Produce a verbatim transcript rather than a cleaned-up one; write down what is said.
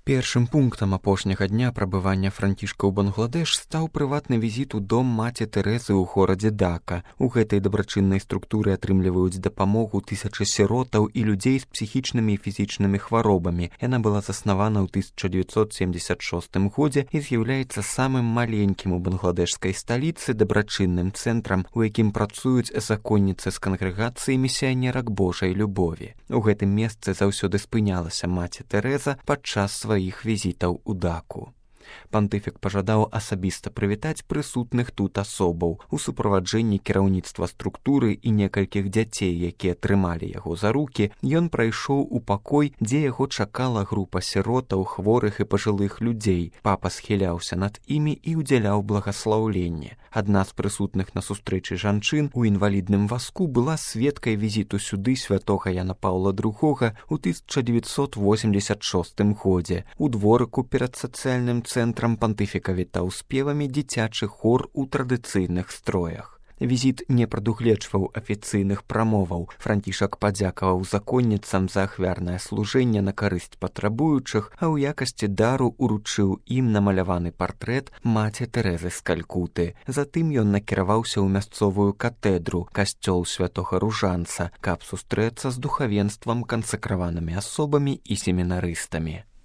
Першым пунктам апошняга дня прабывання Францішка ў Бангладеш стаў прыватны візіт у дом маці Тэрэзы ў горадзе Дака. У гэтай дабрачыннай структуры атрымліваюць дапамогу тысячы сіротаў і людзей з псіхічнымі і фізічнымі хваробамі. Яна была заснавана ў тысяча дзевяцьсот семьдесят шостым годзе і з'яўляецца самым маленькім у бангладэшскай сталіцы дабрачынным цэнтрам, у якім працуюць законніцы з кангрэгацыі місіянерак Божай любові. У гэтым месцы заўсёды спынялася маці Тэрэза падчас сваіх іх візітаў у Даку. Пантыфік пажадаў асабіста прывітаць прысутных тут асобаў. У суправаджэнні кіраўніцтва структуры і некалькіх дзяцей, якія трымалі яго за рукі, ён прайшоў у пакой, дзе яго чакала група сіротаў, хворых і пажылых людзей. Папа схіляўся над імі і ўдзяляў благаслаўленне. Адна з прысутных на сустрэчы жанчын у інвалідным вазку была сведкай візіту сюды святога Яна Паўла другога ў тысяча дзевяцьсот восемьдесят шостым годзе. У дворыку перад сацыяльным цэнтрам пантыфіка вітаў спевамі дзіцячы хор у традыцыйных строях. Візіт не прадугледжваў афіцыйных прамоваў. Францішак падзякаваў законніцам за ахвярнае служэнне на карысць патрабуючых, а ў якасці дару уручыў ім намаляваны партрэт маці Тэрэзы з Калькуты. Затым ён накіраваўся ў мясцовую катэдру, касцёл святога Ружанца, каб сустрэцца з духавенствам, кансакраванымі асобамі і семінарыстамі.